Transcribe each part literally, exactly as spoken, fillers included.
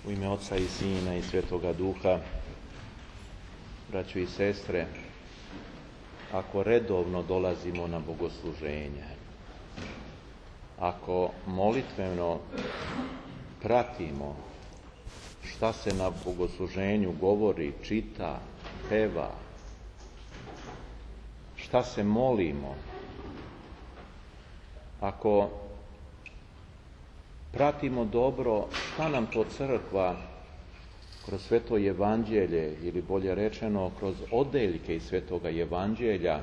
U ime Oca i Sina i Svetoga Duha, braćo i sestre, ako redovno dolazimo na bogosluženje, ako molitveno pratimo šta se na bogosluženju govori, čita, peva, šta se molimo, ako pratimo dobro šta nam to crkva kroz sveto evanđelje, ili bolje rečeno kroz odeljke iz svetoga evanđelja,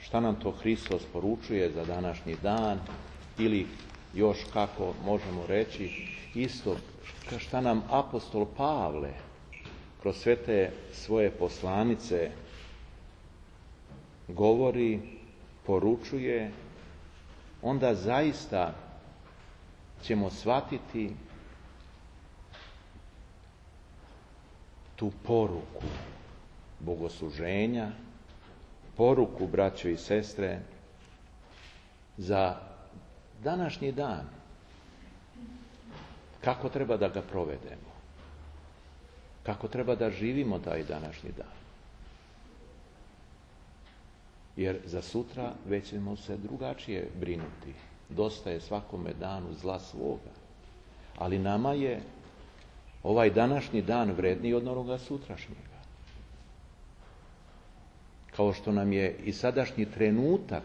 šta nam to Hristos poručuje za današnji dan, ili još kako možemo reći isto šta nam apostol Pavle kroz sve te svoje poslanice govori, poručuje, onda zaista ćemo shvatiti tu poruku bogosluženja, poruku, braćo i sestre, za današnji dan. Kako treba da ga provedemo? Kako treba da živimo taj današnji dan? Jer za sutra već ćemo se drugačije brinuti. Dosta je svakome danu zla svoga. Ali nama je ovaj današnji dan vredniji od onoga sutrašnjega. Kao što nam je i sadašnji trenutak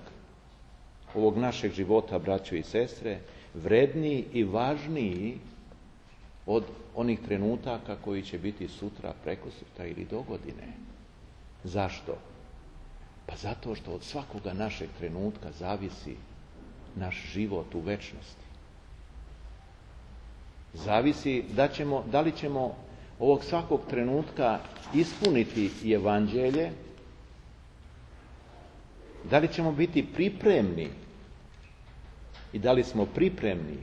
ovog našeg života, braćo i sestre, vredniji i važniji od onih trenutaka koji će biti sutra, prekosutra ili dogodine. Zašto? Pa zato što od svakoga našeg trenutka zavisi naš život u večnosti. Zavisi da, ćemo, da li ćemo ovog svakog trenutka ispuniti evanđelje, da li ćemo biti pripremni i da li smo pripremni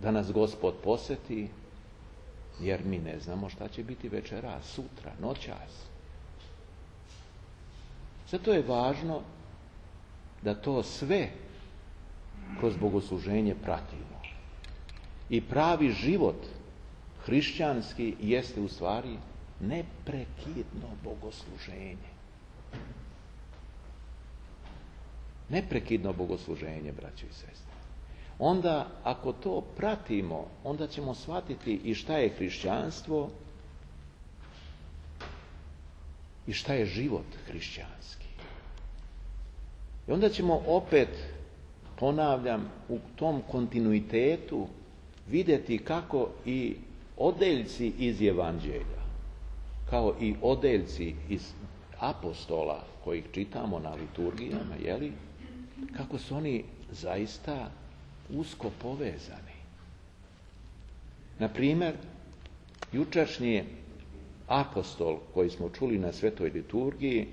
da nas Gospod poseti, jer mi ne znamo šta će biti večeras, sutra, noćas. Zato je važno da to sve kroz bogosluženje pratimo. I pravi život hrišćanski jeste u stvari neprekidno bogosluženje. Neprekidno bogosluženje, braćo i sestre. Onda, ako to pratimo, onda ćemo shvatiti i šta je hrišćanstvo i šta je život hrišćanski. I onda ćemo opet, ponavljam, u tom kontinuitetu vidjeti kako i odeljci iz evanđelja, kao i odeljci iz apostola kojih čitamo na liturgijama, jeli, kako su oni zaista usko povezani. Na primjer, jučerašnji apostol koji smo čuli na svetoj liturgiji,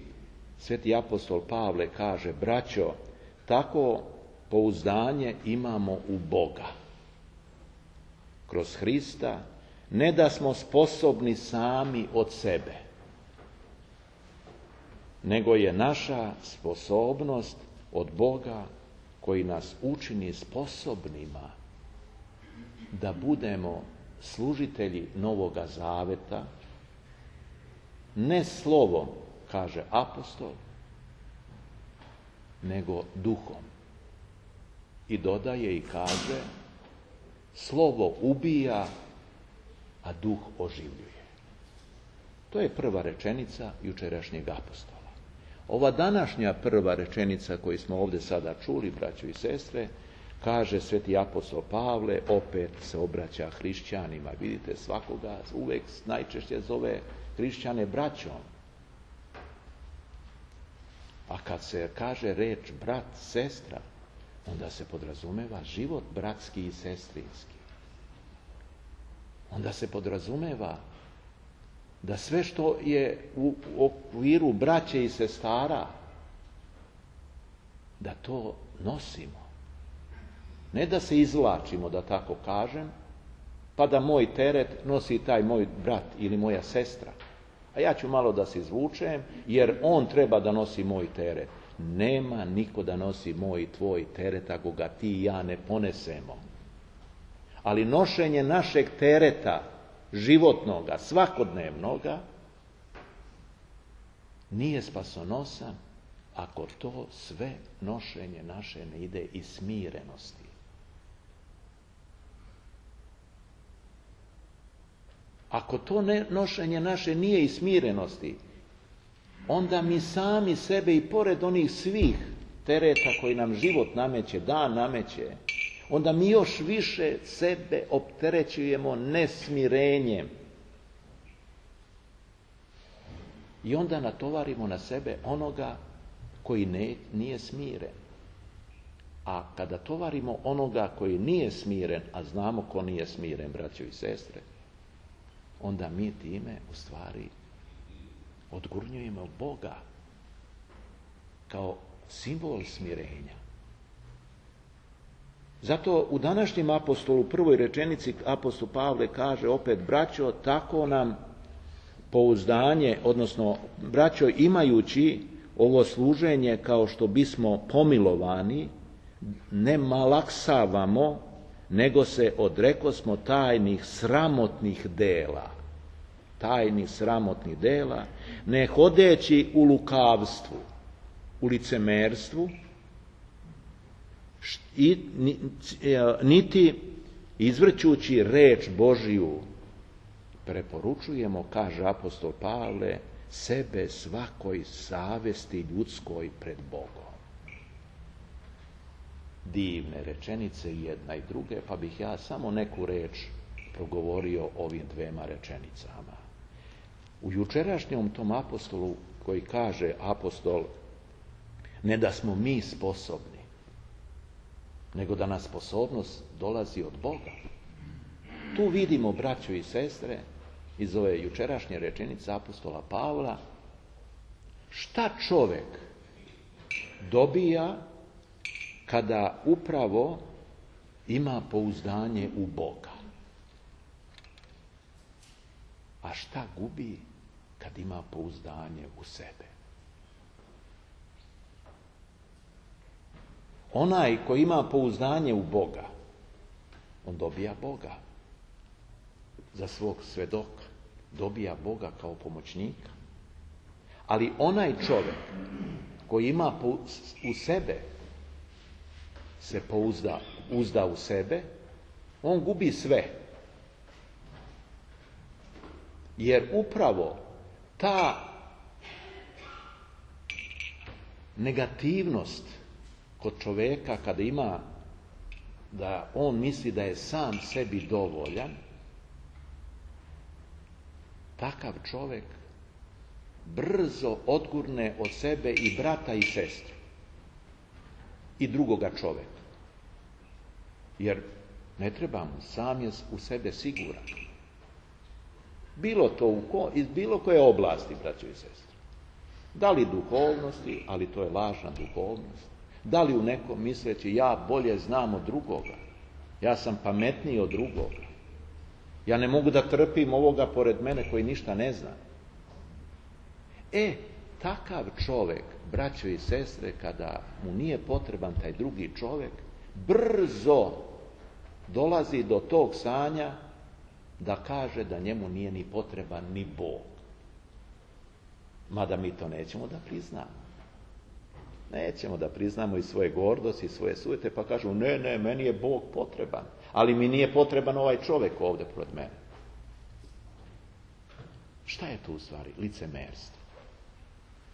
sveti apostol Pavle kaže: braćo, tako pouzdanje imamo u Boga kroz Hrista, ne da smo sposobni sami od sebe, nego je naša sposobnost od Boga koji nas učini sposobnima da budemo služitelji Novoga Zaveta, ne slovom, kaže apostol, nego duhom. I dodaje i kaže: slovo ubija, a duh oživljuje. To je prva rečenica jučerašnjeg apostola. Ova današnja prva rečenica koju smo ovdje sada čuli, braćo i sestre, kaže sveti apostol Pavle, opet se obraća hrišćanima. Vidite, svakoga uvek najčešće zove hrišćane braćom. A kad se kaže reč brat, sestra, onda se podrazumeva život bratski i sestrinski. Onda se podrazumeva da sve što je u okviru braće i sestara, da to nosimo. Ne da se izvlačimo, da tako kažem, pa da moj teret nosi taj moj brat ili moja sestra. A ja ću malo da se izvučem, jer on treba da nosi moj teret. Nema niko da nosi moj i tvoj teret ako ga ti i ja ne ponesemo. Ali nošenje našeg tereta, životnoga, svakodnevnoga, nije spasonosan ako to sve nošenje naše ne ide iz smirenosti. Ako to ne, nošenje naše nije iz smirenosti, onda mi sami sebe i pored onih svih tereta koji nam život nameće, dan nameće, onda mi još više sebe opterećujemo nesmirenjem. I onda natovarimo na sebe onoga koji ne, nije smiren. A kada tovarimo onoga koji nije smiren, a znamo ko nije smiren, braćo i sestre, onda mi time u stvari odgurnjujemo Boga kao simbol smirenja. Zato u današnjem apostolu, u prvoj rečenici apostol Pavle kaže opet, braćo, tako nam pouzdanje, odnosno, braćo, imajući ovo služenje kao što bismo pomilovani, ne malaksavamo, nego se odrekosmo tajnih sramotnih dela. Tajnih sramotnih dela, ne hodeći u lukavstvu, u licemerstvu, i, niti izvrćući reč Božiju, preporučujemo, kaže apostol Pavle, sebe svakoj savesti ljudskoj pred Bogom. Divne rečenice jedna i druge, pa bih ja samo neku reč progovorio ovim dvema rečenicama. U jučerašnjom tom apostolu koji kaže apostol, ne da smo mi sposobni, nego da nas sposobnost dolazi od Boga. Tu vidimo, braćo i sestre, iz ove jučerašnje rečenice apostola Pavla, šta čovjek dobija kada upravo ima pouzdanje u Boga. A šta gubi kad ima pouzdanje u sebe? Onaj koji ima pouzdanje u Boga, on dobija Boga za svog svedoka, dobija Boga kao pomoćnika. Ali onaj čovjek koji ima u sebe, se pouzda, uzda u sebe, on gubi sve. Jer upravo ta negativnost kod čovjeka kada ima da on misli da je sam sebi dovoljan, takav čovjek brzo odgurne od sebe i brata i sestru i drugoga čovjeka. Jer ne treba mu, sam je u sebe siguran. Bilo to u ko, iz bilo koje oblasti, braćo i sestre. Da li duhovnosti, ali to je lažna duhovnost. Da li u nekom misleći ja bolje znam od drugoga. Ja sam pametniji od drugoga. Ja ne mogu da trpim ovoga pored mene koji ništa ne zna. E, takav čovjek, braćo i sestre, kada mu nije potreban taj drugi čovjek, brzo dolazi do tog stanja da kaže da njemu nije ni potreban ni Bog. Mada mi to nećemo da priznamo. Nećemo da priznamo i svoje gordosti, i svoje sujete, pa kažu, ne, ne, meni je Bog potreban, ali mi nije potreban ovaj čovjek ovdje pored mene. Šta je tu u stvari? Licemerstvo.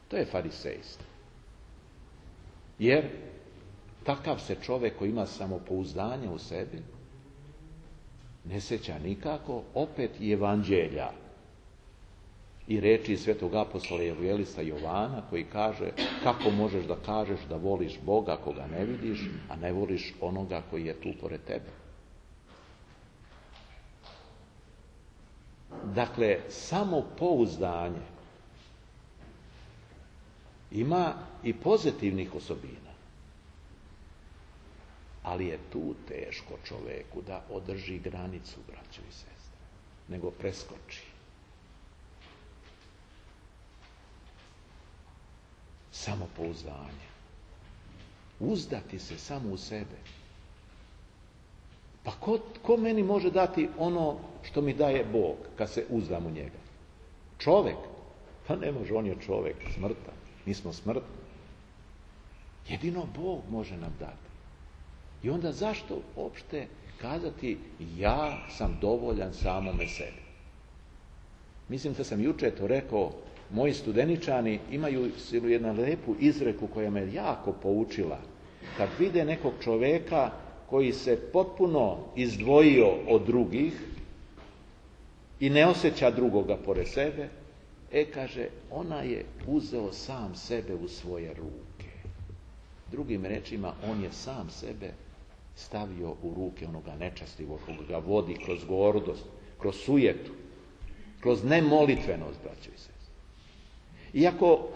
To je farisejstvo. Jer takav se čovjek koji ima samopouzdanje u sebi ne sjeća nikako opet i evanđelja i reči svetog apostola evanđelista Jovana koji kaže kako možeš da kažeš da voliš Boga koga ne vidiš, a ne voliš onoga koji je tu pored tebe. Dakle, samopouzdanje ima i pozitivnih osobina, ali je tu teško čovjeku da održi granicu, braćo i sestre, nego preskoči. Samopouzdanje. Uzdati se samo u sebe. Pa ko, ko meni može dati ono što mi daje Bog kad se uzdam u njega? Čovjek? Pa ne može, on je čovjek, smrtan. Mi smo smrtni. Jedino Bog može nam dati. I onda zašto uopšte kazati ja sam dovoljan samome sebi? Mislim da sam jučer to rekao, moji studeničani imaju jednu lepu izreku koja me jako poučila. Kad vide nekog čovjeka koji se potpuno izdvojio od drugih i ne osjeća drugoga pored sebe, e, kaže, ona je uzeo sam sebe u svoje ruke. Drugim rečima, on je sam sebe stavio u ruke onoga nečastivog, koga ga vodi kroz gordost, kroz sujetu, kroz nemolitvenost, braćo i sestre. Iako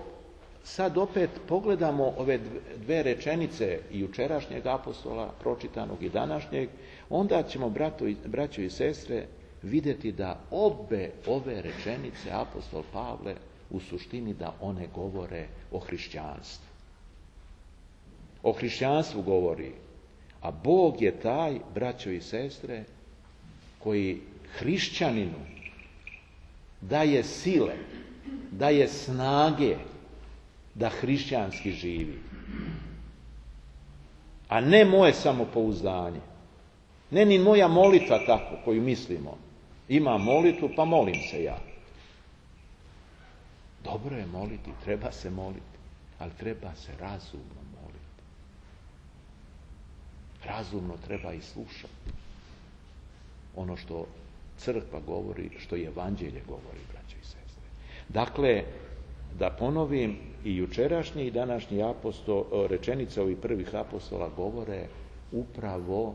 sad opet pogledamo ove dve rečenice i jučerašnjeg apostola, pročitanog i današnjeg, onda ćemo, brato, braćo i sestre, vidjeti da obe ove rečenice apostol Pavle u suštini da one govore o hrišćanstvu. O hrišćanstvu govori, a Bog je taj, braćo i sestre, koji hrišćaninu daje sile, daje snage da hrišćanski živi. A ne moje samopouzdanje. Ne ni moja molitva tako koju mislimo. Imam molitvu, pa molim se ja. Dobro je moliti, treba se moliti, ali treba se razumno moliti. Razumno treba i slušati ono što crkva govori, što i evanđelje govori, braćo i sestre. Dakle, da ponovim, i jučerašnji i današnji apostol, rečenice ovih prvih apostola govore upravo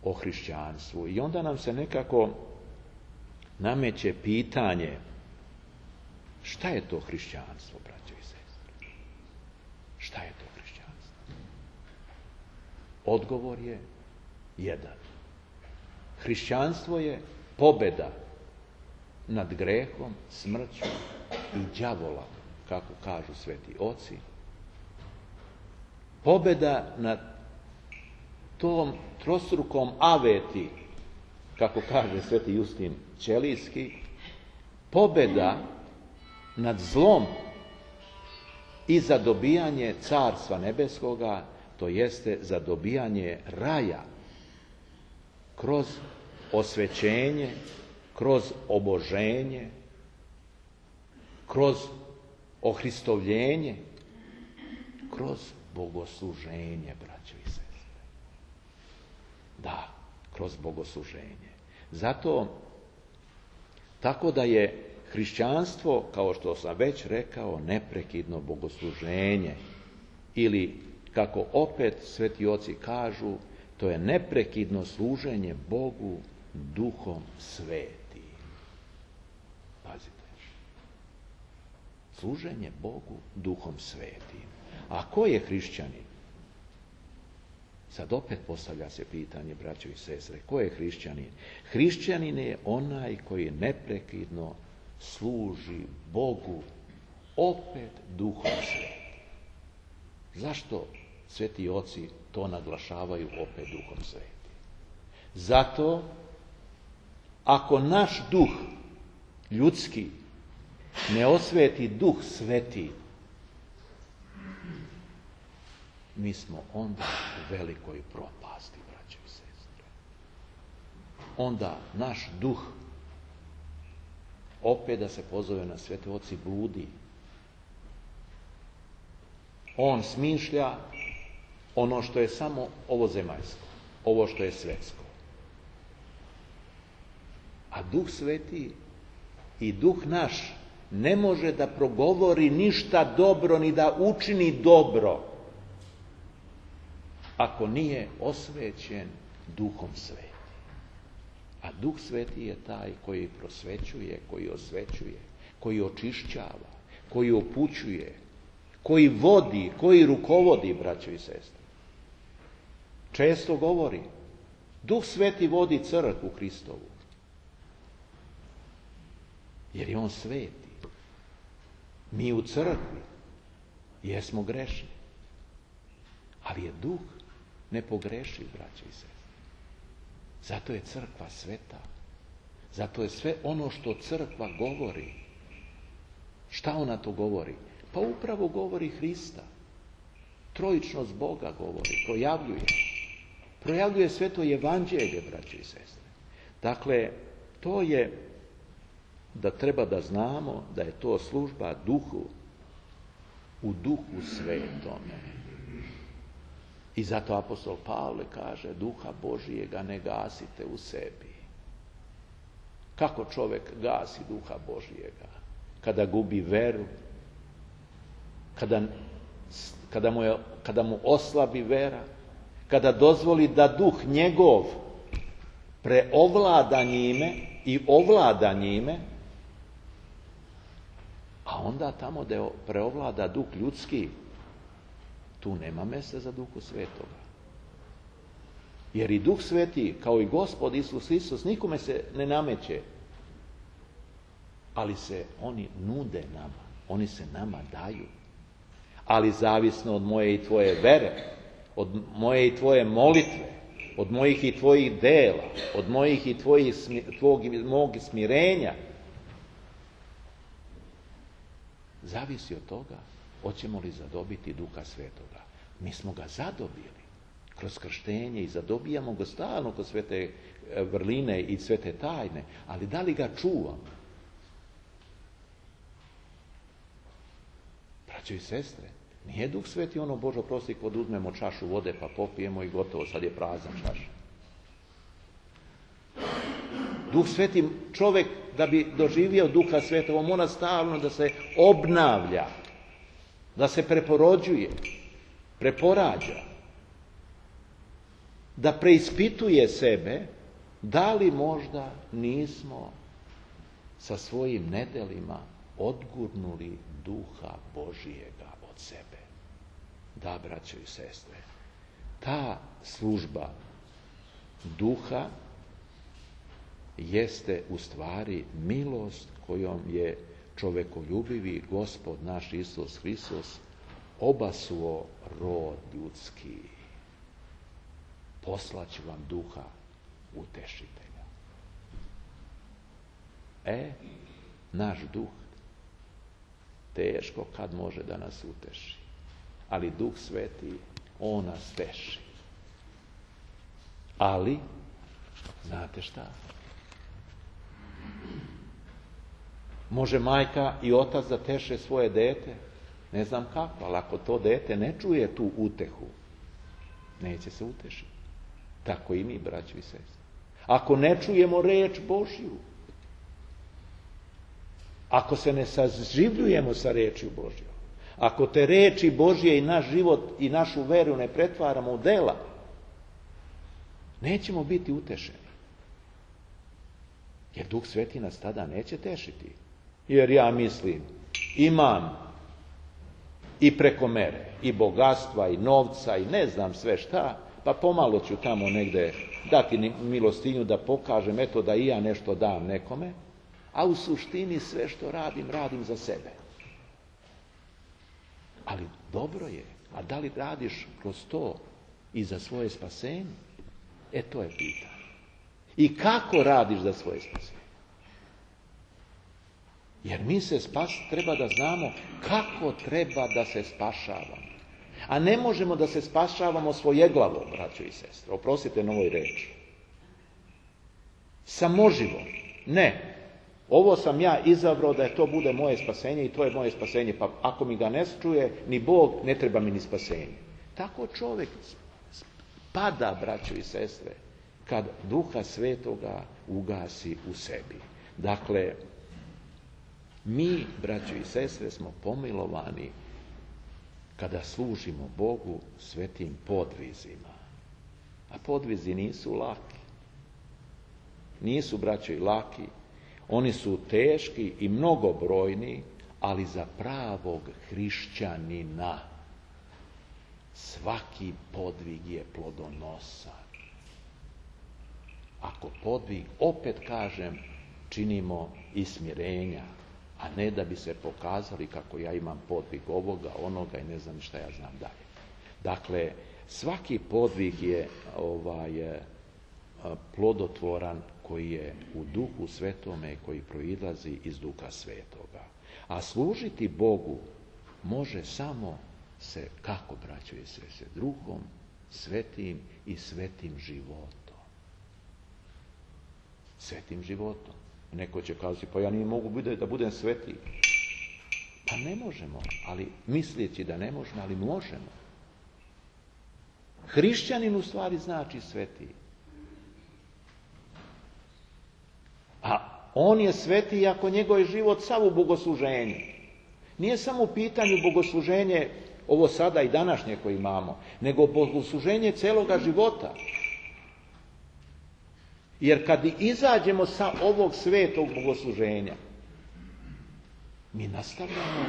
o hrišćanstvu. I onda nam se nekako nameće pitanje, šta je to hrišćanstvo, braćo i sestre? Šta je to hrišćanstvo? Odgovor je jedan. Hrišćanstvo je pobjeda nad grehom, smrću i đavola, kako kažu sveti oci. Pobjeda nad tom trostrukom aveti, kako kaže sveti Justin Ćelijski, pobjeda nad zlom i za dobijanje carstva nebeskoga, to jeste za dobijanje raja kroz osvećenje, kroz oboženje, kroz ohristovljenje, kroz bogosluženje, braćo i sestre. Da, kroz bogosluženje. Zato, tako da je hrišćanstvo, kao što sam već rekao, neprekidno bogosluženje. Ili, kako opet sveti oci kažu, to je neprekidno služenje Bogu Duhom Svetim. Pazite. Služenje Bogu Duhom Svetim. A ko je hrišćanin? Sad opet postavlja se pitanje, braćo i sestre, ko je hrišćanin? Hrišćanin je onaj koji neprekidno služi Bogu opet Duhom Svetim. Zašto sveti oci to naglašavaju opet Duhom Svetim? Zato, ako naš duh ljudski ne osveti Duh Sveti, mi smo onda u velikoj propasti, braćo i sestre. Onda naš duh, opet da se pozove na svete oci, bludi. On smišlja ono što je samo ovozemaljsko, ovo što je svetsko. A Duh Sveti i Duh naš ne može da progovori ništa dobro ni da učini dobro ako nije osvećen Duhom Svetim. A Duh Sveti je taj koji prosvećuje, koji osvećuje, koji očišćava, koji upućuje, koji vodi, koji rukovodi, braćo i sestre. Često govori, Duh Sveti vodi crkvu Hristovu, jer je on sveti. Mi u crkvi jesmo grešni, ali je Duh nepogrešiv, braćo i sestre. Zato je crkva sveta. Zato je sve ono što crkva govori. Šta ona to govori? Pa upravo govori Hrista. Trojičnost Boga govori, projavljuje. Projavljuje sveto evanđelje, braće i sestre. Dakle, to je da treba da znamo da je to služba duhu, u duhu svetome. I zato apostol Pavle kaže, duha Božijega ne gasite u sebi. Kako čovjek gasi duha Božijega? Kada gubi veru, kada, kada, mu, je, kada mu oslabi vera, kada dozvoli da duh njegov preovlada njime i ovlada njime, a onda tamo da preovlada duh ljudski, tu nema mjesta za duhu svetoga. Jer i duh sveti, kao i Gospod Isus Hristos, nikome se ne nameće. Ali se oni nude nama. Oni se nama daju. Ali zavisno od moje i tvoje vere, od moje i tvoje molitve, od mojih i tvojih dela, od mojih i tvojih, tvog i mog smirenja, zavisi od toga hoćemo li zadobiti duha svetoga. Mi smo ga zadobili kroz krštenje i zadobijamo ga stalno kroz svete vrline i svete tajne, ali da li ga čuvamo? Braćo i sestre, nije duh sveti ono, Bože oprosti, kod uzmemo čašu vode pa popijemo i gotovo, sad je prazna čaša. Duh sveti, čovjek da bi doživio duha svetova mora stalno da se obnavlja, da se preporođuje, preporađa, da preispituje sebe, da li možda nismo sa svojim nedelima odgurnuli duha Božijega od sebe. Da, braćo i sestre, ta služba duha jeste u stvari milost kojom je čovekoljubivi Gospod naš Isus Hristos obasuo rod ljudski. Poslaću vam duha utešitelja. E, naš duh teško kad može da nas uteši. Ali Duh Sveti, on nas teši. Ali, znate šta? Može majka i otac da teše svoje dete? Ne znam kako, ali ako to dete ne čuje tu utehu, neće se utešiti. Tako i mi, braćo i sestre. Ako ne čujemo reč Božju, ako se ne saživljujemo sa rečju Božjom, ako te reči Božje i naš život i našu veru ne pretvaramo u dela, nećemo biti utešeni. Jer Duh Sveti nas tada neće tešiti. Jer ja mislim, imam i preko mere, i bogatstva, i novca, i ne znam sve šta, pa pomalo ću tamo negde dati milostinju da pokažem, eto da i ja nešto dam nekome, a u suštini sve što radim, radim za sebe. Ali dobro je, a da li radiš kroz to i za svoje spasenje? E, to je pitanje. I kako radiš za svoje spasenje? Jer mi se spas, treba da znamo kako treba da se spašavamo. A ne možemo da se spašavamo svojeglavom, braćo i sestre. Oprostite na ovoj reči. Samoživom. Ne. Ovo sam ja izabrao da je to bude moje spasenje i to je moje spasenje. Pa ako mi ga ne čuje ni Bog, ne treba mi ni spasenje. Tako čovjek pada, braćo i sestre, kad Duha Svetoga ugasi u sebi. Dakle, mi, braćo i sestre, smo pomilovani kada služimo Bogu svetim podvizima. A podvizi nisu laki. Nisu, braćo, i laki. Oni su teški i mnogobrojni, ali za pravog hrišćanina svaki podvig je plodonosan. Ako podvig, opet kažem, činimo iz smirenja, a ne da bi se pokazali kako ja imam podvig ovoga, onoga i ne znam šta ja znam dalje. Dakle, svaki podvig je ovaj, plodotvoran koji je u duhu svetome, koji proizlazi iz duha svetoga. A služiti Bogu može samo se, kako, braćo i sestre, duhom svetim i svetim životom. Svetim životom. Neko će kazati, pa ja nije mogu biti da budem sveti. Pa ne možemo, ali misleći da ne možemo, ali možemo. Hrišćanin u stvari znači sveti. A on je sveti ako njegov je život sav u bogosluženju. Nije samo u pitanju bogosluženje ovo sada i današnje koje imamo, nego bogosluženje celoga života. Jer kad izađemo sa ovog svetog bogosluženja, mi nastavljamo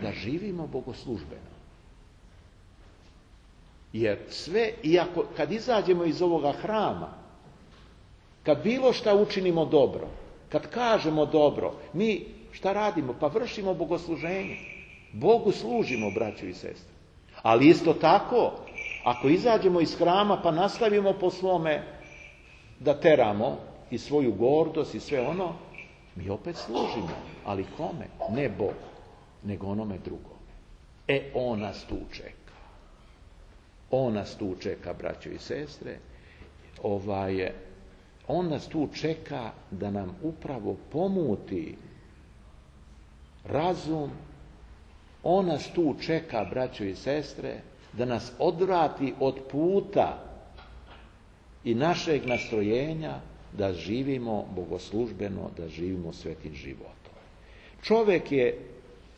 da živimo bogoslužbeno. Jer sve, iako kad izađemo iz ovoga hrama, kad bilo šta učinimo dobro, kad kažemo dobro, mi šta radimo? Pa vršimo bogosluženje. Bogu služimo, braćo i sestre. Ali isto tako, ako izađemo iz hrama pa nastavimo po svome da teramo i svoju gordost i sve ono, mi opet služimo. Ali kome? Ne Bogu, nego onome drugome. E, on nas tu čeka. On nas tu čeka, braćo i sestre. Ovaj, on nas tu čeka da nam upravo pomuti razum. On nas tu čeka, braćo i sestre, da nas odvrati od puta i našeg nastrojenja da živimo bogoslužbeno, da živimo svetim životom. Čovjek je,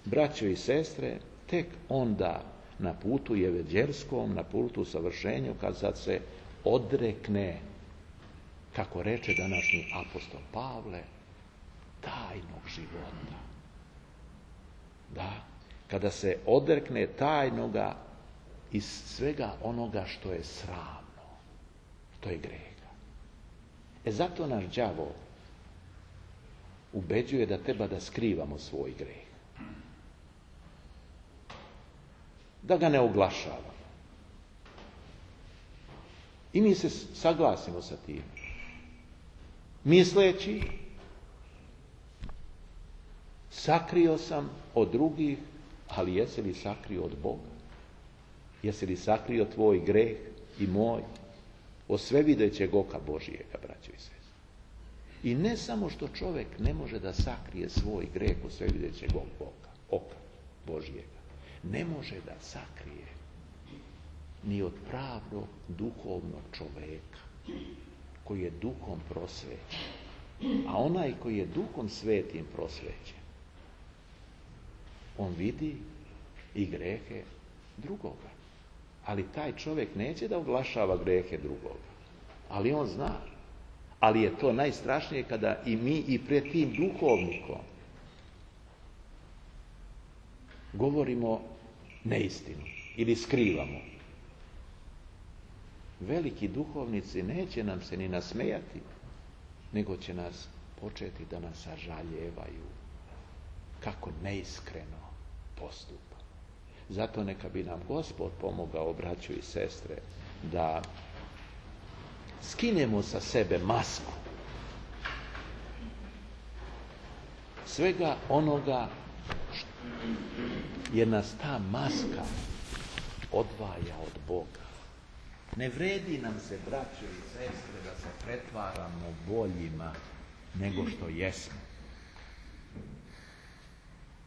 braćo i sestre, tek onda na putu jeveđerskom, na putu savršenju, kad sad se odrekne, kako reče današnji apostol Pavle, tajnog života. Da, kada se odrekne tajnoga iz svega onoga što je sramno, što je greha. E zato naš đavo ubeđuje da treba da skrivamo svoj greh. Da ga ne oglašavamo. I mi se saglasimo sa tim. Misleći, sakrio sam od drugih, ali jesi li sakrio od Boga? Jesi li sakrio tvoj greh i moj od svevidećeg oka Božijega, braćo i sestre? I ne samo što čovjek ne može da sakrije svoj greh od svevidećeg oka, oka Božijega, ne može da sakrije ni od pravog duhovnog čovjeka koji je duhom prosvećen. A onaj koji je duhom svetim prosvećen, on vidi i grehe drugoga. Ali taj čovjek neće da oglašava grehe drugoga. Ali on zna. Ali je to najstrašnije kada i mi i pred tim duhovnikom govorimo neistinu ili skrivamo. Veliki duhovnici neće nam se ni nasmejati, nego će nas početi da nas sažaljevaju kako neiskreno postupamo. Zato neka bi nam Gospod pomogao, braćo i sestre, da skinemo sa sebe masku svega onoga što je nas ta maska odvaja od Boga. Ne vredi nam se, braćo i sestre, da se pretvaramo boljima nego što jesmo.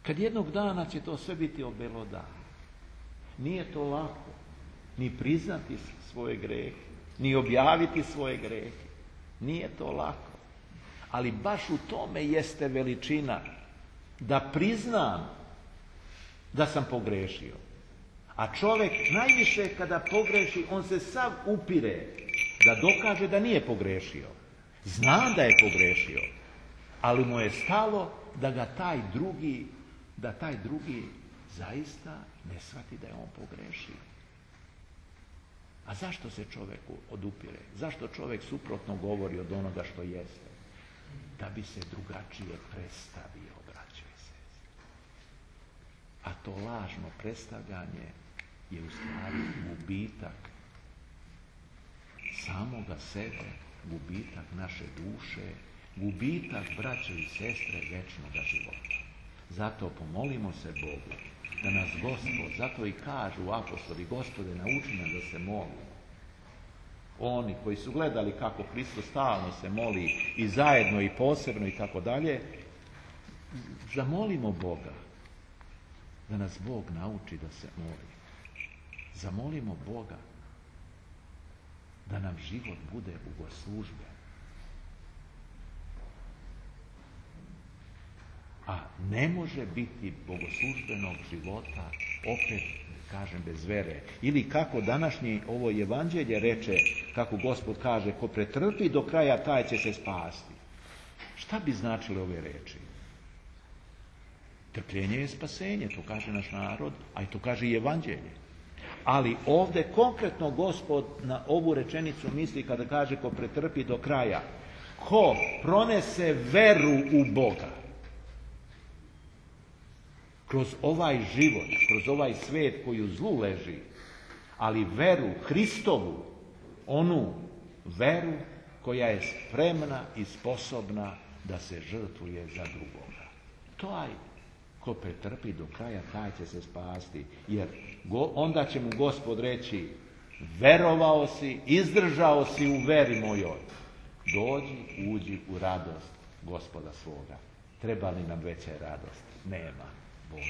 Kad jednog dana će to sve biti obelodano. Nije to lako ni priznati svoje grehe, ni objaviti svoje grehe. Nije to lako. Ali baš u tome jeste veličina, da priznam da sam pogrešio. A čovjek najviše kada pogreši, on se sav upire da dokaže da nije pogrešio. Zna da je pogrešio, ali mu je stalo da ga taj drugi, da taj drugi zaista ne shvati da je on pogrešio. A zašto se čovjek odupire? Zašto čovjek suprotno govori od onoga što jeste? Da bi se drugačije predstavio, braćo i sestre. A to lažno predstavljanje je u stvari gubitak samoga sebe gubitak naše duše, gubitak, braćo i sestre, večnoga života. Zato pomolimo se Bogu da nas Gospod, zato i kažu apostoli, Gospode, nauči nas da se molimo. Oni koji su gledali kako Hristos stalno se moli i zajedno i posebno i tako dalje, zamolimo Boga da nas Bog nauči da se molimo. Zamolimo Boga da nam život bude bogoslužben. A ne može biti bogoslužbenog života opet, kažem, bez vere. Ili kako današnje ovo evanđelje reče, kako Gospod kaže, ko pretrpi do kraja, taj će se spasti. Šta bi značile ove reči? Trpljenje je spasenje, to kaže naš narod, a i to kaže i evanđelje. Ali ovdje konkretno Gospod na ovu rečenicu misli kada kaže ko pretrpi do kraja. Ko pronese veru u Boga kroz ovaj život, kroz ovaj svijet koji u zlu leži, ali veru Hristovu, onu veru koja je spremna i sposobna da se žrtvuje za drugoga. Taj ko pretrpi do kraja, taj će se spasti. Jer go, onda će mu Gospod reći, verovao si, izdržao si u veri mojoj. Dođi, uđi u radost Gospoda svoga. Treba li nam veće radosti? Nema. Boga.